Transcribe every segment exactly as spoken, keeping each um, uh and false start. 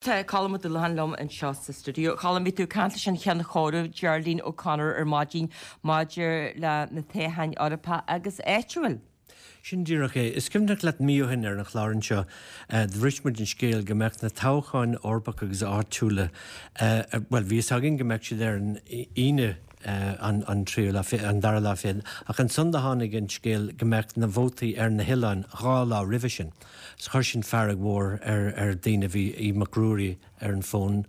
Tá Colm Ó Dúlacháin liom anseo sa stiúideo. Colm bhí tú ag caint leis an Cheann Comhairimh Geraldine O'Connor ar maidin maidir le na toghcháin Eorpacha agus áitiúil. Sin díreach é. Is cuimhneach leat mí ó shin ar an chlár anseo do bhris muid an scéal go mbeadh na toghcháin Eorpacha agus áitiúla well bhí a fhios againn go mbeadh siad ar an Aoine an an tríú lá an dara lá fichead ach ansan do tháinig an scéal go mbeadh na vótaí ar na hoileáin dhá lá roimhe sin. So chuir sin fearg mhór ar ar daoine bhí Aodh Mac Ruairí ar an bhfón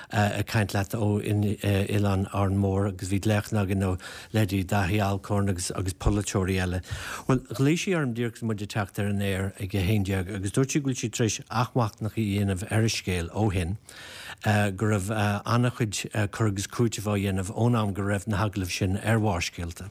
ag caint leat ó Oileán Árainn Mhór agus bhí glaochanna againn ó leithéidí Daithí Alcorn agus agus polaiteoirí eile. Well ghlaoigh sí orm díreach is muid ag teacht ar an aer ag a haon déag agus dúirt sí go bhfuil sí tar éis athmhachnamh a dhéanamh ar an scéal ó shin, go raibh an-chuid cur agus cúiteamh á dhéanamh ón am go raibh na hagallaimh sin ar Bharrscéalta.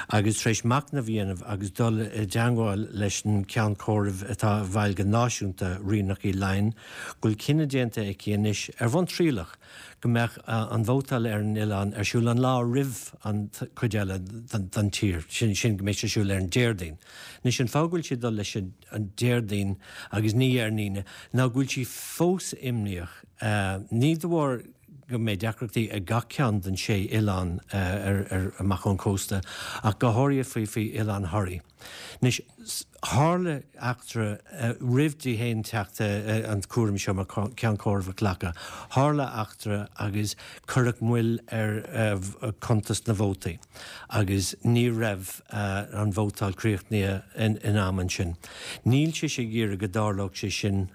Agus tar éis machnamh a dhéanamh agus dul i dteangmháil leis an ceann comhairimh atá i bhfeighil go náisiúnta Ríonach Uí Laighin, go bhfuil cinneadh déanta aici anois ar bhonn trialach go mbeadh an vótáil ar an oileán ar siúl an lá roimh an chuid eile den tír, sin sin go mbeidh sé ar siúl ar an Déardaoin. Anois an fáth go bhfuil sí ag dul leis an Déardaoin agus ní ar an Aoine ná go bhfuil sí fós imníoch, ní de bharr go mbeidh deacrachtaí ag gach ceann den sé oileán ar amach ón cósta ach go háirithe faoi faoi Oileán Thoraí. Anois tharla eachtra roimh di féin teacht an cúram seo mar ceann comhairimh a ghlacadh. Tharla eachtra agus cuireadh moill ar cuntas na vótaí agus ní raibh an vótáil críochnaithe in am ansin. Níl sise ag iarraidh go dtarlódh sé sin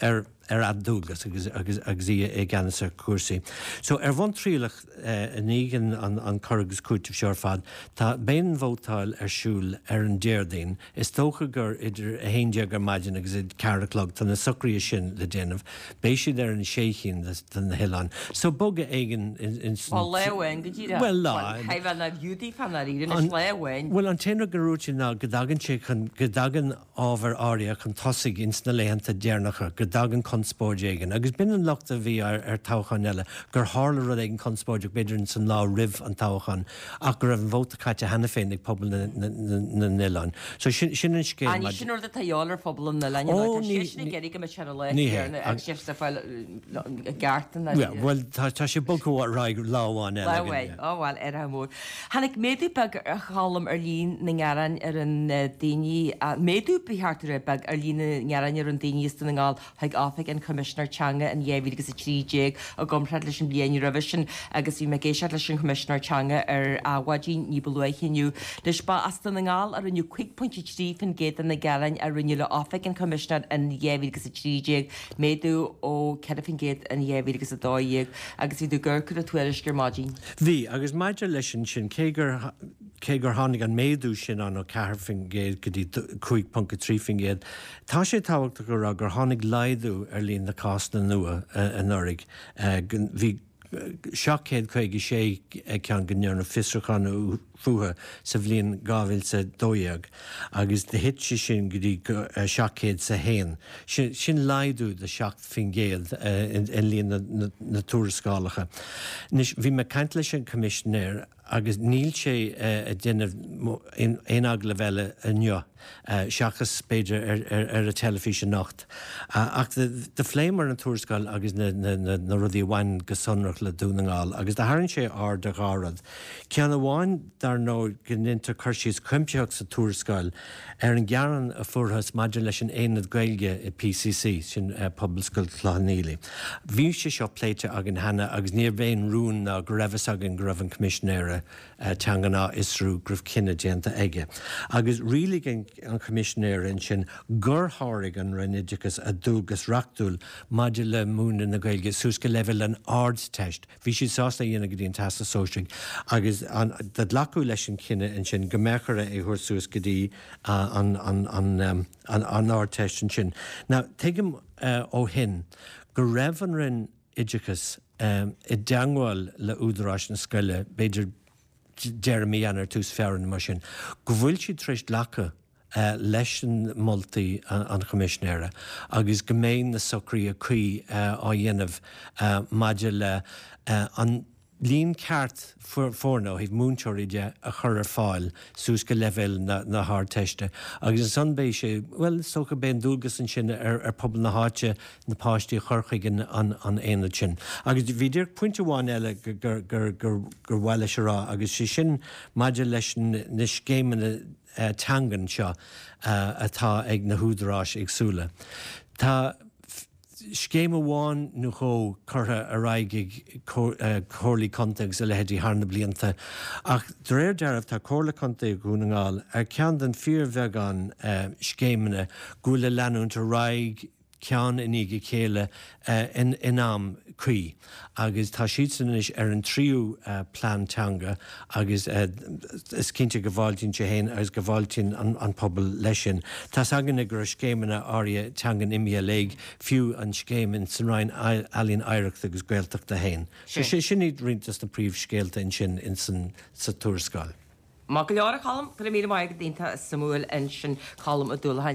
ar ar a dualgas agus agus agus í i gceannas ar chúrsaí. So ar bhonn trialach i ndiaidh an an cur agus cúiteamh seo ar fad, tá beidh an vótáil ar siúl ar an Déardaoin. Is dócha gur idir a haon déag ar maidin agus a ceathair a chlog tá na socruithe sin le déanamh. Beidh siad ar an sé chinn de na hoileáin. So bogadh éigin in Well lá amháin go díreach. Well lá. Well na bhiúdaí fan dáiríre anois lá amháin. Well an t-aon rud go dúirt sí ná go dtagann sé chun go dtagann ábhar áirithe chun tosaigh ins na laethanta deireanacha, go dtagann conspóid éigin. Agus b'in an locht a bhí ar ar toghcháin eile, gur tharla rud éigin conspóideach b'fhéidir ins an lá roimh an toghchán ach go raibh an vóta caite cheana féin ag pobal na na n-oileán. So sin sin an scéal Ah ní sin rud atá de dhíobháil ar phobal na n-oileán Ó tá ní siadsan ag iarraidh go mbeadh sé ar an lá ní hé. céanna agus sibh ag fáil i gceart an Yeah, bhuel tá tá sé bogtha ar aghaidh lá amháin eile Lá againn, amháin. yeah. Ó bhuel, ar mór. Tháinig méadú beag a Choilm ar líon na ngearán ar an daoine, méadú ba cheart a rá beag ar líon na ngearán ar an daoine as Dún na nGall chuig Oifig an Choimisinéir Teanga in dhá mhíle agus a trí déag i gcomparáid leis an bhliain roimhe sin agus bhí mé ag éisteacht leis an Choimisinéir Teanga ar Adhmhaidin ní ba luaithe inniu. Anois ba as Dún na nGall a rinneadh cúig pointe trí faoin gcéad de na gearáin a rinneadh le Oifig an Choimisinéir in dhá mhíle agus a trí déag, méadú ó ceithre faoin gcéad in dhá mhíle agus a dó dhéag agus bhí tú ag amharc ar an tuairisc ar maidin. Bhí, agus maidir leis an sin, cé gur cé gur tháinig an méadú sin ann ó ceathair faoin gcéad go dtí cúig ponc a trí faoin gcéad, tá sé tábhachtach a rá gur tháinig laghdú ar líon na cásanna nua anuraidh. Bhí seacht chéad caoga sé ceann go ndearnadh fiosrúchán fúthu sa bhliain dhá mhíle is a dó dhéag agus do thit sé sin go dtí seacht chéad is a haon. Sin laghdú de seacht faoin gcéad i líon na tuarascálacha. Anois, bhí mé ag caint leis an Choimisinéir agus níl sé ag déanamh aon agallamh eile inniu, seachas b'fhéidir ar an teilifís anocht. Ach do phléamar an tuarascáil agus na rudaí a bhain go sonrach le Dún na nGall agus do tharraing sé aird ar dhá rud. Ceann amháin, dar ndóigh, go ndéantar cur síos cuimsitheach sa tuarascáil ar an ghearán a fuarthas maidir leis an Aonad Gaeilge i PCC, sin Pobalscoil Chloich Cheann Fhaola. Bhí sé seo pléite againn cheana agus níorbh aon rún ná go raibh fhios againn go raibh an Coimisinéara Teangan á fhiosrú, go raibh cinneadh déanta aige. Agus rialaigh an Coimisinéara ansin gur sháraigh an Roinn Oideachais a dualgas reachtúil maidir le múineadh na Gaeilge suas go leibhéal an Ardteist. Bhí siad sásta é a dhéanamh go dtí an Teastas Sóisearach agus do glacadh leis an chinneadh ansin go mbeadh orthu é a thabhairt suas go dtí an Ardteist ansin. Now, tuigim ó shin go raibh an Roinn Oideachais i dteangmháil le údaráis na scoile, b'fhéidir deireadh mí Eanáir, tús Feabhra nó mar sin, go bhfuil siad tar éis glacadh leis an moltaí an Choimisinéara agus go mbeidh na socruithe cuí á dhéanamh maidir le an líon ceart foirne ó thaobh múinteoirí de a chur ar fáil suas go leibhéal na hArdteiste agus ansan beidh sé, bhuel, is dócha beidh an dualgas ansin ar ar pobal na háite na páistí a chur chuig an an aonad sin. Agus bhí díreach pointe amháin eile gur gur gur gur mhaith leis a rá agus sé sin maidir leis na scéimeanna teangan seo atá ag na húdaráis éagsúla. Tá scéim amháin nó dhó curtha ar aghaidh ag comhairlí contae agus a leithéidí thar na blianta, ach de réir dealraimh tá Comhairle Contae Dhún na nGall ar cheann den fíorbheagán scéimeanna go bhfuil ag leanúint ar aghaidh ceann i ndiaidh a chéile in am cuí agus tá siadsan anois ar an tríú plean teanga agus is cinnte go bhfáiltíonn sé féin agus go bhfáiltíonn an pobal leis sin. Tá's againne go raibh scéimeanna áirithe teangan imithe i léig, fiú an scéim in san Roinn Ealaíon Oidhreachta agus Gaeltachta féin. So sin iad roinnt des na príomhscéalta ansin in san sa tuarascáil. Maith go leor a Cholm, go raibh míle maith agat, iontach suimiúil ansin Colm Ó Dúlacháin.